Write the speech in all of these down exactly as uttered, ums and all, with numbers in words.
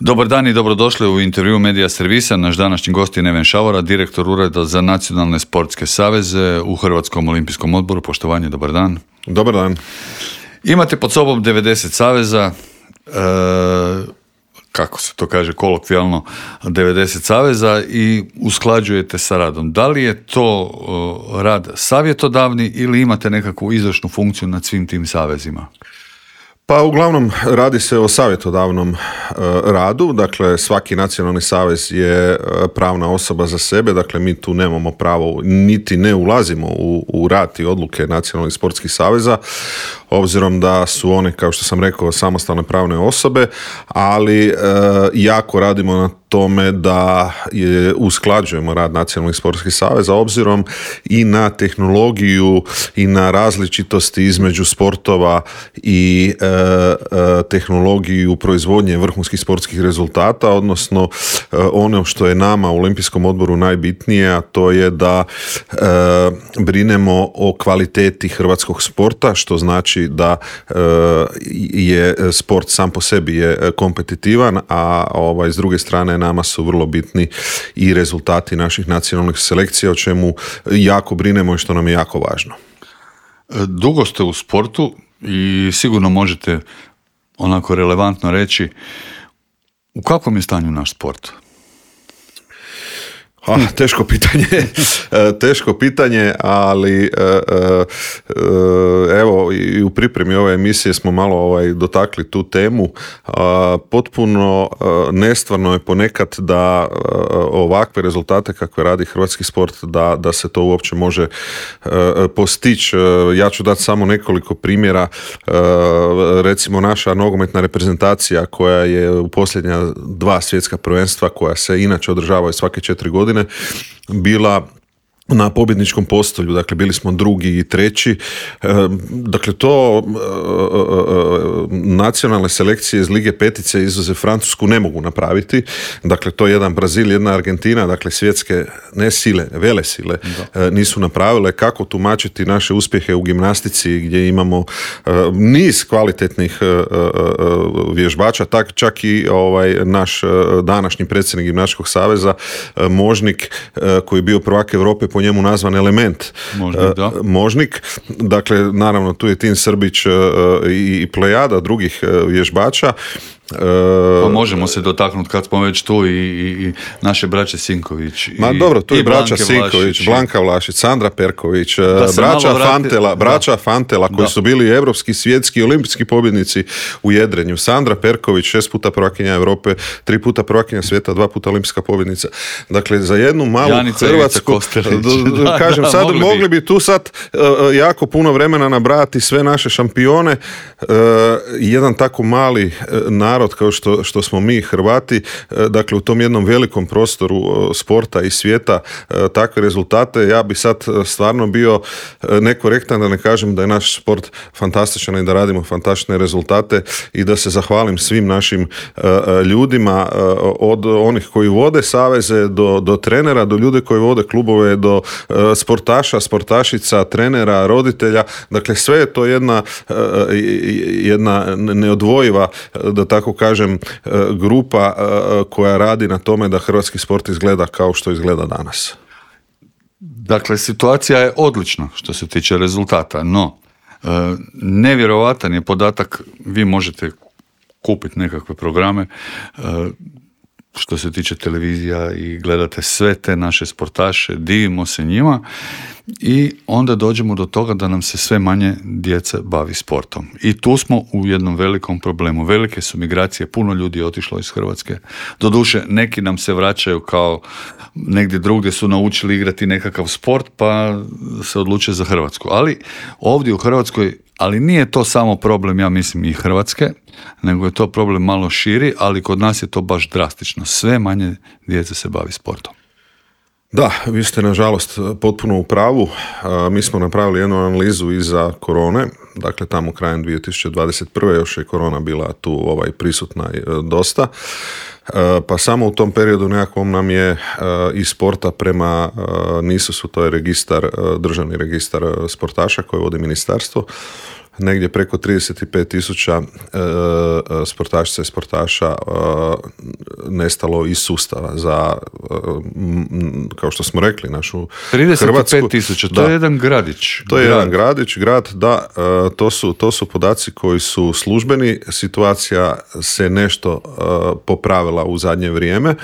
Dobar dan i dobrodošli u intervju Medija servisa. Naš današnji gost je Neven Šavora, direktor Ureda za nacionalne sportske saveze u Hrvatskom olimpijskom odboru. Poštovanje, dobar dan. Dobar dan. Imate pod sobom devedeset saveza, e, kako se to kaže kolokvijalno, devedeset saveza i usklađujete sa radom. Da li je to e, rad savjetodavni ili imate nekakvu izvršnu funkciju nad svim tim savezima? Pa uglavnom radi se o savjetodavnom e, radu, dakle svaki nacionalni savez je e, pravna osoba za sebe, dakle mi tu nemamo pravo, niti ne ulazimo u, u rad i odluke nacionalnih sportskih saveza, obzirom da su one, kao što sam rekao, samostalne pravne osobe, ali e, jako radimo na tome da je, usklađujemo rad nacionalnih sportskih saveza obzirom i na tehnologiju i na različitosti između sportova i e, e, tehnologiju proizvodnje vrhunskih sportskih rezultata, odnosno e, ono što je nama u Olimpijskom odboru najbitnije, a to je da e, brinemo o kvaliteti hrvatskog sporta, što znači da e, je sport sam po sebi je kompetitivan, a ovaj, s druge strane nama su vrlo bitni i rezultati naših nacionalnih selekcija, o čemu jako brinemo i što nam je jako važno. Dugo ste u sportu i sigurno možete onako relevantno reći u kakvom je stanju naš sport? Ah, teško pitanje, teško pitanje, ali evo i u pripremi ove emisije smo malo ovaj, dotakli tu temu. Potpuno nestvarno je ponekad da ovakve rezultate kakve radi hrvatski sport, da, da se to uopće može postići. Ja ću dati samo nekoliko primjera. Recimo naša nogometna reprezentacija koja je u posljednja dva svjetska prvenstva, koja se inače održavaju svake četiri godine, bila na pobjedničkom postolju, dakle bili smo drugi i treći. Dakle to nacionalne selekcije iz Lige petice izuzev Francusku ne mogu napraviti. Dakle to je jedan Brazil, jedna Argentina, dakle svjetske ne sile, vele sile da. nisu napravile. Kako tumačiti naše uspjehe u gimnastici gdje imamo niz kvalitetnih vježbača, tak čak i ovaj naš današnji predsjednik Gimnastičkog saveza Možnik, koji je bio prvak Europe, po njemu nazvan Element. Možnik, da. Možnik. Dakle, naravno, tu je Tin Srbić i plejada drugih vježbača. Pa možemo se dotaknuti kad smo već tu i, i, i naše braće Sinković. I, Ma dobro, tu je braća Sinković, Vlašić, Blanka Vlašić, Sandra Perković, braća Fantela, braća Fantela koji da. su bili evropski, svjetski i olimpijski pobjednici u jedrenju. Sandra Perković, šest puta prvakinja Europe, tri puta prvakinja svijeta, dva puta olimpijska pobjednica. Dakle, za jednu malu Janica Hrvatsku, da, kažem, da, sad mogli, mogli bi tu sad uh, jako puno vremena nabrati sve naše šampione. Uh, jedan tako mali uh, narod kao što, što smo mi Hrvati, dakle u tom jednom velikom prostoru sporta i svijeta takve rezultate, ja bi sad stvarno bio nekorektan da ne kažem da je naš sport fantastičan i da radimo fantastične rezultate i da se zahvalim svim našim ljudima, od onih koji vode saveze do, do trenera, do ljude koji vode klubove, do sportaša, sportašica, trenera, roditelja, dakle sve je to jedna, jedna neodvojiva, da tako kažem, grupa koja radi na tome da hrvatski sport izgleda kao što izgleda danas. Dakle, situacija je odlična što se tiče rezultata, no nevjerovatan je podatak, vi možete kupiti nekakve programe što se tiče televizija i gledate sve te naše sportaše, divimo se njima i onda dođemo do toga da nam se sve manje djece bavi sportom. I tu smo u jednom velikom problemu. Velike su migracije, puno ljudi je otišlo iz Hrvatske. Doduše, neki nam se vraćaju kao negdje drugdje su naučili igrati nekakav sport pa se odluče za Hrvatsku. Ali ovdje u Hrvatskoj, ali nije to samo problem, ja mislim, i Hrvatske, nego je to problem malo širi, ali kod nas je to baš drastično. Sve manje djece se bavi sportom. Da, vi ste nažalost potpuno u pravu. Mi smo napravili jednu analizu iza korone, dakle tamo krajem dvije tisuće dvadeset prve još je korona bila tu ovaj, prisutna dosta. Pa samo u tom periodu nekakvom nam je iz sporta prema N I S U-su, to je registar, državni registar sportaša koje vodi ministarstvo, negdje preko trideset pet tisuća e, sportašica i sportaša e, nestalo iz sustava za, e, m, kao što smo rekli, našu Hrvatsku. trideset pet tisuća, to da, je jedan gradić. To je grad. jedan gradić, grad, da, e, to su, to su podaci koji su službeni, situacija se nešto e, popravila u zadnje vrijeme,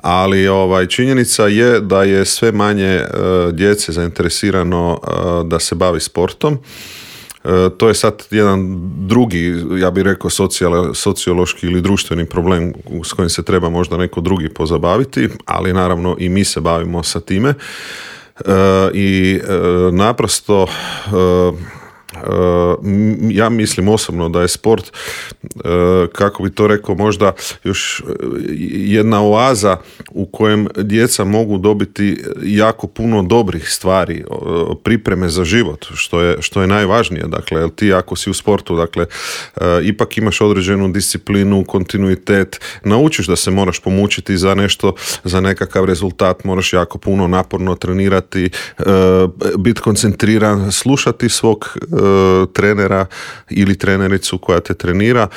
ali ovaj, činjenica je da je sve manje uh, djece zainteresirano uh, da se bavi sportom. Uh, to je sad jedan drugi, ja bih rekao, socijal, sociološki ili društveni problem s kojim se treba možda neko drugi pozabaviti, ali naravno i mi se bavimo sa time. Uh, I uh, naprosto uh, ja mislim osobno da je sport, kako bi to rekao, možda još jedna oaza u kojem djeca mogu dobiti jako puno dobrih stvari, pripreme za život, što je, što je najvažnije. Dakle, jer ti ako si u sportu, dakle, ipak imaš određenu disciplinu, kontinuitet, naučiš da se moraš pomučiti za nešto, za nekakav rezultat, moraš jako puno naporno trenirati, biti koncentriran, slušati svog trenera ili trenericu koja te trenira,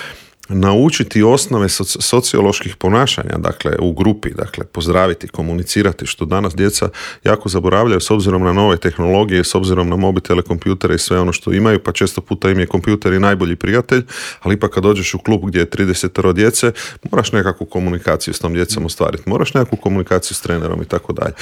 naučiti osnove soci- socioloških ponašanja, dakle u grupi, dakle pozdraviti, komunicirati, što danas djeca jako zaboravljaju s obzirom na nove tehnologije, s obzirom na mobitele, kompjutere i sve ono što imaju, pa često puta im je kompjuter i najbolji prijatelj, ali ipak kad dođeš u klub gdje je trideset djece, moraš nekakvu komunikaciju s tom djecom ostvariti, moraš nekakvu komunikaciju s trenerom i tako dalje.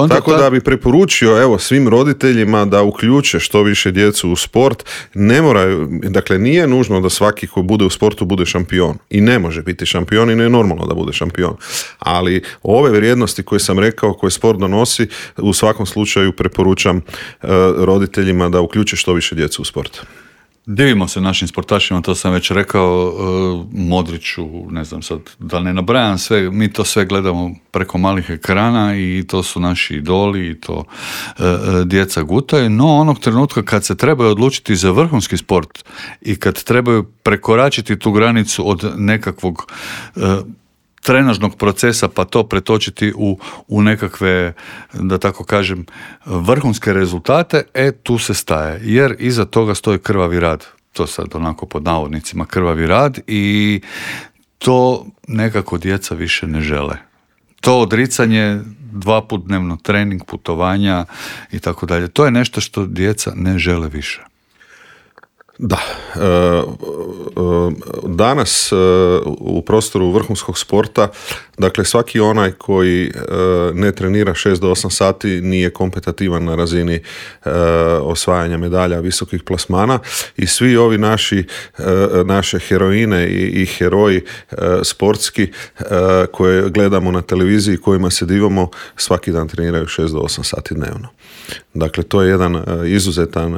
Tako da bi preporučio, evo, svim roditeljima da uključe što više djecu u sport. Ne moraju, dakle nije nužno da svaki ko bude u sportu bude šampion. I ne može biti šampion i ne je normalno da bude šampion. Ali ove vrijednosti koje sam rekao, koje sport donosi, u svakom slučaju preporučam uh, roditeljima da uključe što više djecu u sport. Divimo se našim sportašima, to sam već rekao, Modriću, ne znam sad, da ne nabrajam sve, mi to sve gledamo preko malih ekrana i to su naši idoli i to e, djeca gutaju, no onog trenutka kad se trebaju odlučiti za vrhunski sport i kad trebaju prekoračiti tu granicu od nekakvog e, trenažnog procesa pa to pretočiti u, u nekakve, da tako kažem, vrhunske rezultate, e tu se staje, jer iza toga stoji krvavi rad, to sad onako pod navodnicima krvavi rad, i to nekako djeca više ne žele. To odricanje, dva put dnevno trening, putovanja i tako dalje, to je nešto što djeca ne žele više. Da, danas u prostoru vrhunskog sporta, dakle svaki onaj koji ne trenira šest do osam sati nije kompetitivan na razini osvajanja medalja, visokih plasmana, i svi ovi naši naše heroine i, i heroji sportski koje gledamo na televiziji, kojima se divamo, svaki dan treniraju šest do osam sati dnevno. Dakle, to je jedan izuzetan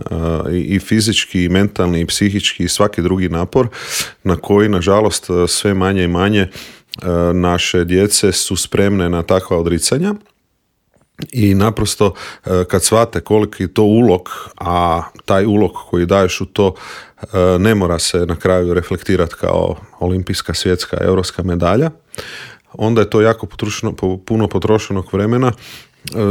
i fizički i mentalni i psihički i svaki drugi napor na koji, nažalost, sve manje i manje naše djece su spremne na takva odricanja. I naprosto kad shvate koliki je to ulog, a taj ulog koji daješ u to ne mora se na kraju reflektirati kao olimpijska, svjetska, europska medalja, onda je to jako potrošeno, puno potrošenog vremena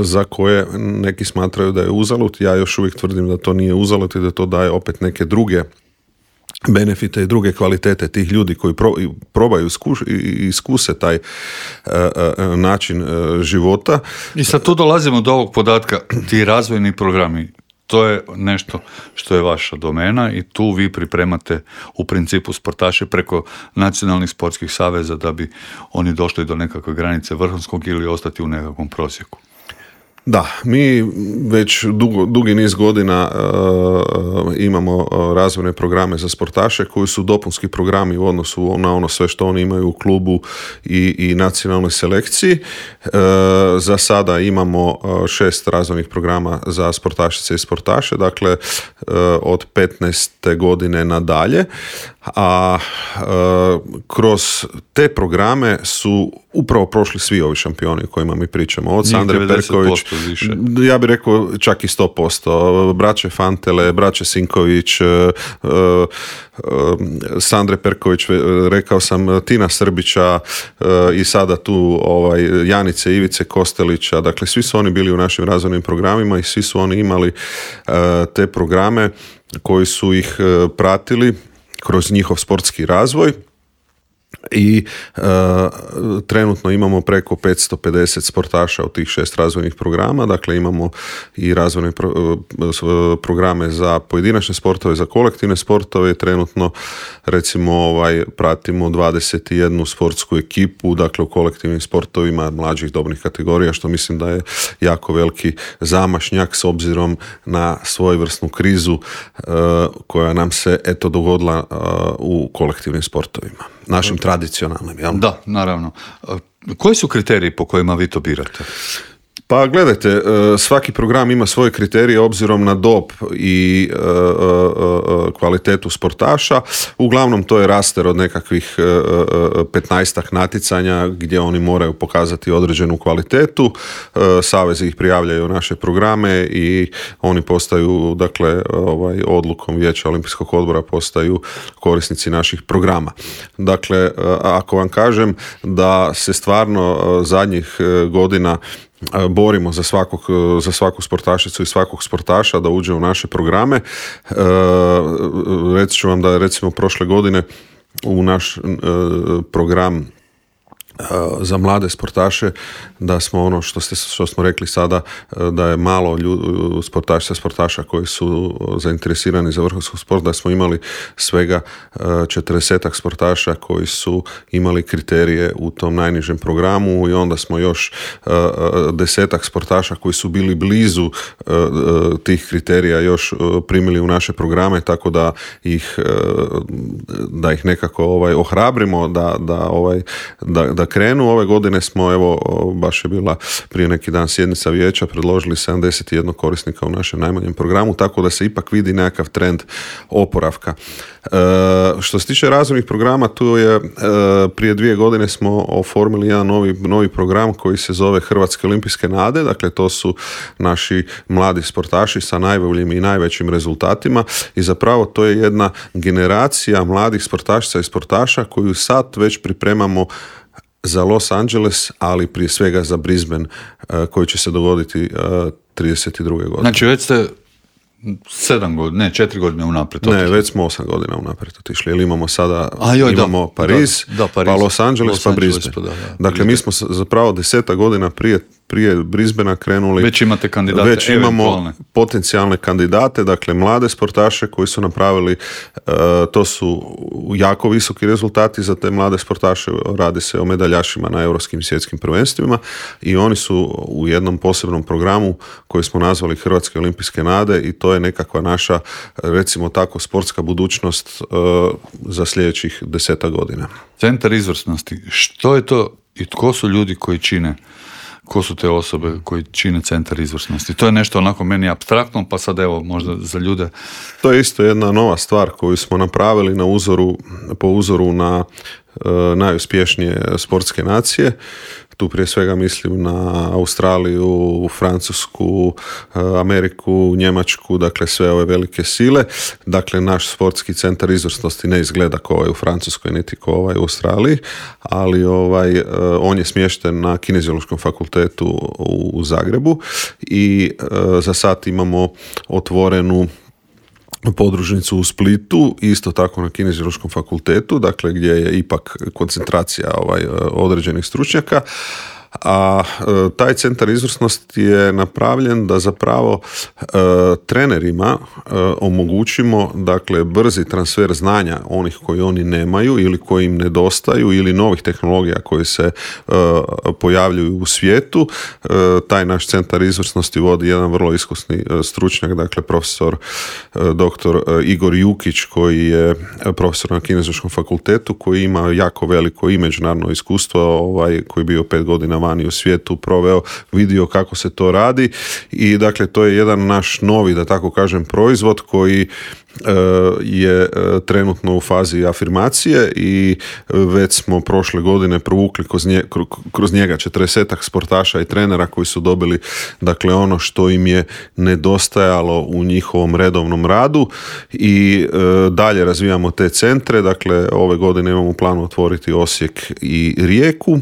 za koje neki smatraju da je uzalud. Ja još uvijek tvrdim da to nije uzalud i da to daje opet neke druge benefite i druge kvalitete tih ljudi koji pro, probaju iskuš, iskuse taj uh, uh, način uh, života. I sad tu dolazimo do ovog podatka, ti razvojni programi, to je nešto što je vaša domena i tu vi pripremate u principu sportaše preko nacionalnih sportskih saveza da bi oni došli do nekakve granice vrhunskog ili ostati u nekakvom prosjeku. Da, mi već dugo, dugi niz godina uh, imamo razvojne programe za sportaše koji su dopunski programi u odnosu na ono sve što oni imaju u klubu i, i nacionalnoj selekciji. Uh, za sada imamo šest razvojnih programa za sportašice i sportaše, dakle uh, od petnaeste godine nadalje, a uh, kroz te programe su upravo prošli svi ovi šampioni o kkojima mi pričamo. Od Sandre Perković, ja bih rekao čak i sto posto. Braće Fantele, braće Sinković, uh, uh, Sandre Perković, rekao sam Tina Srbića uh, i sada tu ovaj, Janice Ivice Kostelića. Dakle, svi su oni bili u našim razvojnim programima i svi su oni imali uh, te programe koji su ih uh, pratili kroz njihov sportski razvoj. I e, trenutno imamo preko petsto pedeset sportaša u tih šest razvojnih programa, dakle imamo i razvojne pro, programe za pojedinačne sportove, za kolektivne sportove. Trenutno recimo ovaj, pratimo dvadeset jednu sportsku ekipu, dakle u kolektivnim sportovima mlađih dobnih kategorija, što mislim da je jako veliki zamašnjak s obzirom na svojevrsnu krizu e, koja nam se eto dogodila e, u kolektivnim sportovima, našim tradicionalnim, jel? Da, naravno. Koji su kriteriji po kojima vi to birate? Pa gledajte, svaki program ima svoje kriterije obzirom na dob i kvalitetu sportaša. Uglavnom to je raster od nekakvih petnaestak natjecanja gdje oni moraju pokazati određenu kvalitetu. Savezi ih prijavljaju u naše programe i oni postaju, dakle, ovaj, odlukom Vijeća Olimpijskog odbora postaju korisnici naših programa. Dakle, ako vam kažem da se stvarno zadnjih godina borimo za svakog, za svaku sportašicu i svakog sportaša da uđe u naše programe. E, reći ću vam da recimo prošle godine u naš e, program za mlade sportaše, da smo ono što, ste, što smo rekli sada, da je malo ljud, sportaša, sportaša koji su zainteresirani za vrhunski sport, da smo imali svega četrdesetak sportaša koji su imali kriterije u tom najnižem programu i onda smo još desetak sportaša koji su bili blizu tih kriterija još primili u naše programe, tako da ih, da ih nekako ovaj, ohrabrimo da, da, ovaj, da, da krenu. Ove godine smo, evo, baš je bila prije neki dan sjednica vijeća, predložili sedamdeset jedan korisnika u našem najmanjem programu, tako da se ipak vidi nekakav trend oporavka. E, što se tiče razvojnih programa, tu je e, prije dvije godine smo oformili jedan novi, novi program koji se zove Hrvatske olimpijske nade, dakle to su naši mladi sportaši sa najboljim i najvećim rezultatima i zapravo to je jedna generacija mladih sportašica i sportaša koju sad već pripremamo za Los Angeles, ali prije svega za Brisbane, koji će se dogoditi trideset druge godine. Znači već ste sedam godina, ne, četiri godine unaprijed otišli. Ne, već smo osam godina unaprijed otišli, jer imamo sada, A joj, imamo da, Pariz, da, da, Pariz, pa Los Angeles, Los pa Angeles, Brisbane. pa da, da, dakle, mi smo zapravo deseta godina prije prije Brisbanea krenuli. Već imate kandidate, već imamo eventualne. Potencijalne kandidate, dakle mlade sportaše koji su napravili, uh, to su jako visoki rezultati za te mlade sportaše, radi se o medaljašima na europskim i svjetskim prvenstvima i oni su u jednom posebnom programu koji smo nazvali Hrvatske olimpijske nade i to je nekakva naša, recimo tako, sportska budućnost uh, za sljedećih deseta godina. Centar izvrsnosti, što je to i tko su ljudi koji čine? Ko su te osobe koji čine centar izvrsnosti? To je nešto onako meni apstraktno, pa sad evo možda za ljude. To je isto jedna nova stvar koju smo napravili na uzoru, po uzoru na e, najuspješnije sportske nacije. Tu prije svega mislim na Australiju, Francusku, Ameriku, Njemačku, dakle sve ove velike sile. Dakle, naš sportski centar izvrsnosti ne izgleda kao ovaj u Francuskoj, niti kao ovaj u Australiji, ali ovaj, on je smješten na Kineziološkom fakultetu u Zagrebu i za sad imamo otvorenu podružnicu u Splitu, isto tako na Kineziološkom fakultetu, dakle gdje je ipak koncentracija ovaj, određenih stručnjaka. A e, taj centar izvrsnosti je napravljen da zapravo e, trenerima e, omogućimo, dakle, brzi transfer znanja onih koji oni nemaju ili koji im nedostaju ili novih tehnologija koje se e, pojavljuju u svijetu. E, taj naš centar izvrsnosti vodi jedan vrlo iskusni e, stručnjak, dakle profesor e, doktor e, Igor Jukić, koji je profesor na Kineziološkom fakultetu, koji ima jako veliko i međunarodno iskustvo, ovaj, koji je bio pet godina vani u svijetu proveo, vidio kako se to radi i dakle to je jedan naš novi, da tako kažem, proizvod koji je trenutno u fazi afirmacije i već smo prošle godine provukli kroz, nje, kroz njega četrdesetak sportaša i trenera koji su dobili dakle ono što im je nedostajalo u njihovom redovnom radu i e, dalje razvijamo te centre. Dakle ove godine imamo u planu otvoriti Osijek i Rijeku.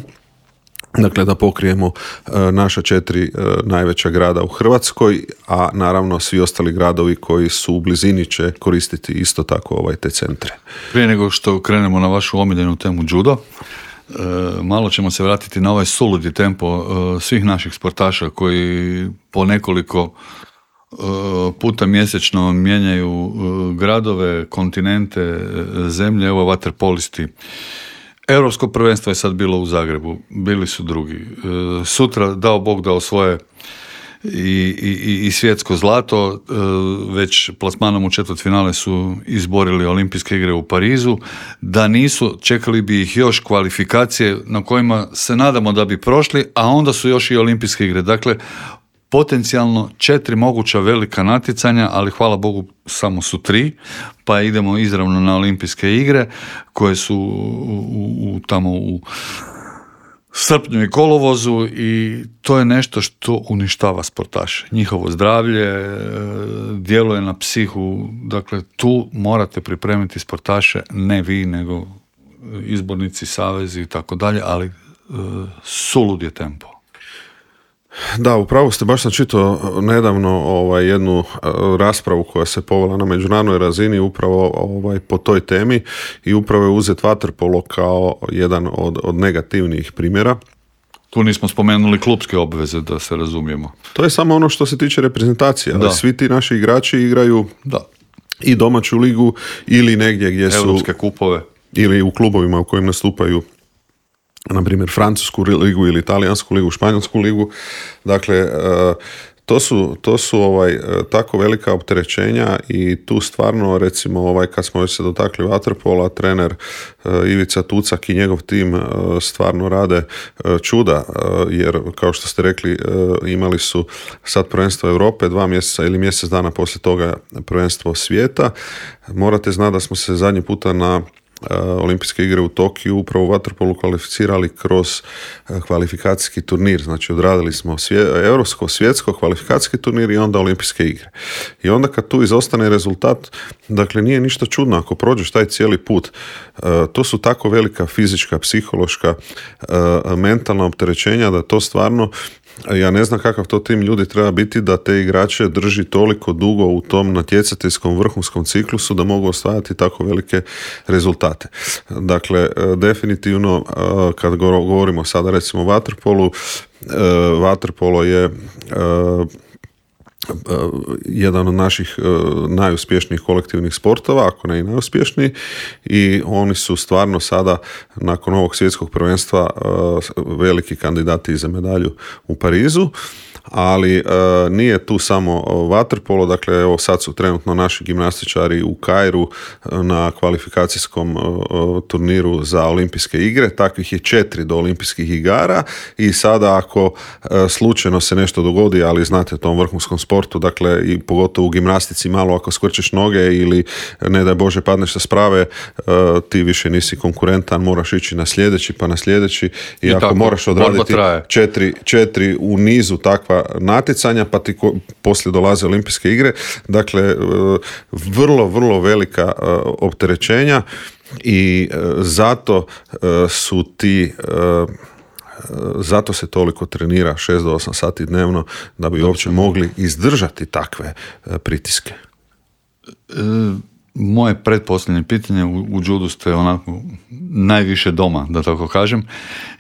Dakle, da pokrijemo e, naša četiri e, najveća grada u Hrvatskoj, a naravno svi ostali gradovi koji su u blizini će koristiti isto tako ovaj te centre. Prije nego što krenemo na vašu omiljenu temu judo, e, malo ćemo se vratiti na ovaj suludi tempo e, svih naših sportaša koji po nekoliko e, puta mjesečno mijenjaju e, gradove, kontinente, e, zemlje, evo vaterpolisti. Europsko prvenstvo je sad bilo u Zagrebu, bili su drugi. Sutra, dao Bog da osvoje i, i, i svjetsko zlato, već plasmanom u četvrtfinale su izborili olimpijske igre u Parizu. Da nisu, čekali bi ih još kvalifikacije na kojima se nadamo da bi prošli, a onda su još i olimpijske igre. Dakle, potencijalno četiri moguća velika natjecanja, ali hvala Bogu samo su tri, pa idemo izravno na olimpijske igre koje su u, u, u, tamo u srpnju i kolovozu i to je nešto što uništava sportaše. Njihovo zdravlje djeluje na psihu, dakle tu morate pripremiti sportaše, ne vi, nego izbornici, savezi i tako dalje, ali sulud je tempo. Da, upravo ste, baš sam čitao nedavno ovaj, jednu raspravu koja se povela na međunarodnoj razini upravo ovaj, po toj temi i upravo je uzet vaterpolo kao jedan od, od negativnijih primjera. Tu nismo spomenuli klupske obveze, da se razumijemo. To je samo ono što se tiče reprezentacije, ali da. Svi ti naši igrači igraju da. I domaću ligu ili negdje gdje su... Europske kupove. Ili u klubovima u kojim nastupaju na primjer francusku ligu ili italijansku ligu, španjolsku ligu. Dakle, to su, to su ovaj, tako velika opterećenja i tu stvarno, recimo, ovaj, kad smo već se dotakli vaterpola, trener Ivica Tucak i njegov tim stvarno rade čuda, jer kao što ste rekli, imali su sad prvenstvo Europe, dva mjeseca ili mjesec dana poslije toga prvenstvo svijeta. Morate znati da smo se zadnji puta na Olimpijske igre u Tokiju upravo u vaterpolu kvalificirali kroz kvalifikacijski turnir, znači odradili smo svje, europsko, svjetsko kvalifikacijski turnir i onda olimpijske igre. I onda kad tu izostane rezultat, dakle nije ništa čudno ako prođeš taj cijeli put. To su tako velika fizička, psihološka, mentalna opterećenja da to stvarno, ja ne znam kakav to tim ljudi treba biti da te igrače drži toliko dugo u tom natjecateljskom vrhunskom ciklusu da mogu osvajati tako velike rezultate. Dakle, definitivno kad govorimo sada recimo o vaterpolu, vaterpolo je jedan od naših najuspješnijih kolektivnih sportova, ako ne i najuspješniji, i oni su stvarno sada nakon ovog svjetskog prvenstva veliki kandidati za medalju u Parizu. Ali e, nije tu samo vaterpolo, dakle evo sad su trenutno naši gimnastičari u Kairu na kvalifikacijskom e, turniru za olimpijske igre, takvih je četiri do olimpijskih igara i sada ako e, slučajno se nešto dogodi, ali znate u tom vrhunskom sportu, dakle i pogotovo u gimnastici malo ako skvrčeš noge ili ne daj Bože padneš sa sprave, e, ti više nisi konkurentan, moraš ići na sljedeći pa na sljedeći i, I ako tako, moraš odraditi četiri, četiri u nizu takva natjecanja, pa ti ko, poslije dolaze olimpijske igre. Dakle, vrlo, vrlo velika opterećenja i zato su ti zato se toliko trenira šest do osam sati dnevno da bi uopće mogli izdržati takve pritiske. Moje pretposljednje pitanje, u, u judu ste onako najviše doma, da tako kažem,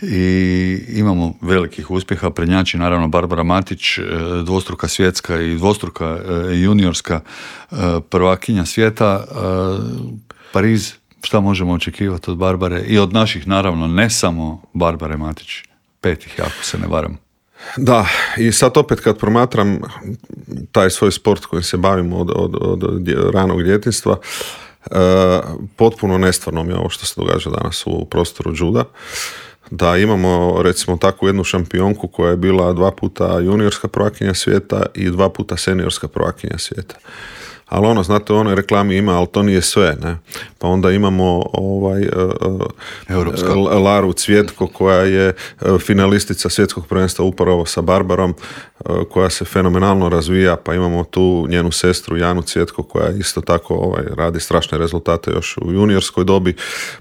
i imamo velikih uspjeha, prednjači naravno Barbara Matić, dvostruka svjetska i dvostruka juniorska prvakinja svijeta. Pariz, šta možemo očekivati od Barbare i od naših, naravno, ne samo Barbare Matić, petih, ako se ne varam. Da, i sad opet kad promatram taj svoj sport kojim se bavim od, od, od ranog djetinjstva, e, potpuno nestvarno mi je ovo što se događa danas u prostoru juda. da imamo recimo takvu jednu šampionku koja je bila dva puta juniorska prvakinja svijeta i dva puta seniorska prvakinja svijeta. Ali ono, znate, u onoj reklami ima, ali to nije sve, ne? Pa onda imamo ovaj, uh, Laru Cvjetko koja je finalistica svjetskog prvenstva upravo sa Barbarom, uh, koja se fenomenalno razvija, pa imamo tu njenu sestru Janu Cvjetko koja isto tako ovaj, radi strašne rezultate još u juniorskoj dobi,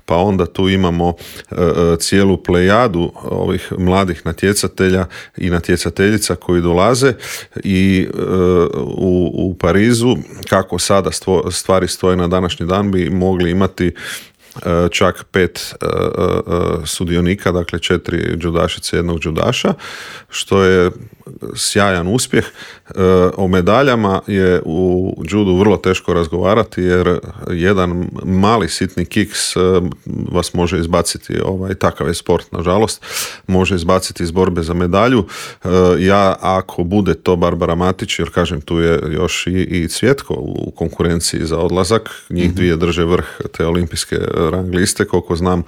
pa onda tu imamo uh, cijelu plejadu ovih mladih natjecatelja i natjecateljica koji dolaze i uh, u, u Parizu, kako sada stvo, stvari stoje na današnji dan, bi mogli imati uh, čak pet uh, uh, sudionika, dakle četiri džudašice, jednog džudaša, što je sjajan uspjeh. Uh, o medaljama je u judu vrlo teško razgovarati, jer jedan mali sitni kiks uh, vas može izbaciti, ovaj, takav je sport, nažalost, može izbaciti iz borbe za medalju. Uh, ja, ako bude to Barbara Matić, jer kažem, tu je još i, i Cvjetko u konkurenciji za odlazak, njih mm-hmm. dvije drže vrh te olimpijske rang liste, koliko znam,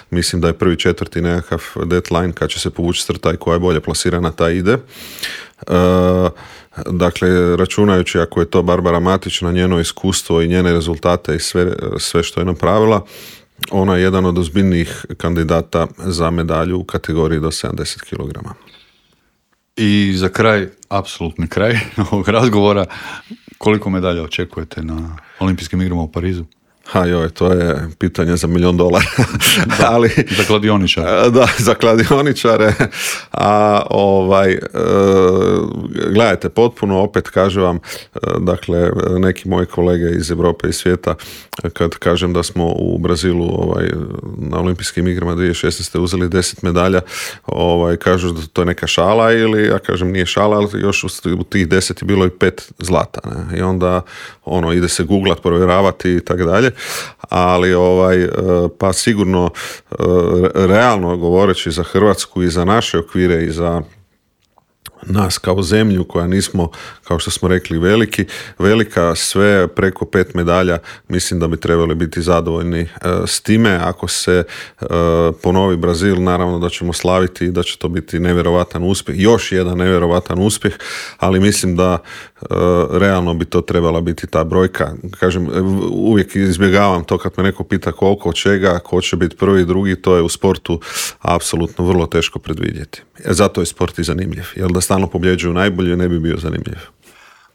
mislim da je prvi četvrti nekakav deadline kad će se povući crta i koja je bolje plasirana, ta ide. Uh, dakle, računajući ako je to Barbara Matić na njeno iskustvo i njene rezultate i sve, sve što je napravila, ona je jedan od ozbiljnijih kandidata za medalju u kategoriji do sedamdeset kilograma. I za kraj, apsolutni kraj ovog razgovora, koliko medalja očekujete na olimpijskim igrama u Parizu? Ha joj, to je pitanje za milion dolara. Da, ali, za kladioničare. Da, za kladioničare. A ovaj, e, gledajte, potpuno opet kažem vam, e, dakle, neki moji kolege iz Europe i svijeta, kad kažem da smo u Brazilu ovaj, na olimpijskim igrama dvije tisuće šesnaeste uzeli deset medalja, ovaj, kažu da to je neka šala, ili ja kažem nije šala, ali još u tih deset je bilo i pet zlata. Ne? I onda ono, ide se googlat, provjeravati i tako dalje. Ali ovaj, pa sigurno realno govoreći za Hrvatsku i za naše okvire i za nas kao zemlju koja nismo, kao što smo rekli, veliki, velika, sve preko pet medalja, mislim da bi trebali biti zadovoljni e, s time. Ako se e, ponovi Brazil, naravno da ćemo slaviti i da će to biti nevjerovatan uspjeh, još jedan nevjerovatan uspjeh, ali mislim da e, realno bi to trebala biti ta brojka. Kažem, uvijek izbjegavam to kad me neko pita koliko, od čega, ko će biti prvi, drugi, to je u sportu apsolutno vrlo teško predvidjeti. E, zato je sport i zanimljiv, jer da stalno pobjeđuju najbolje, ne bi bio zanimljiv.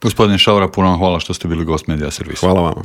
Gospodine Šaura, puno vam hvala što ste bili gost Medija Servisa. Hvala vama.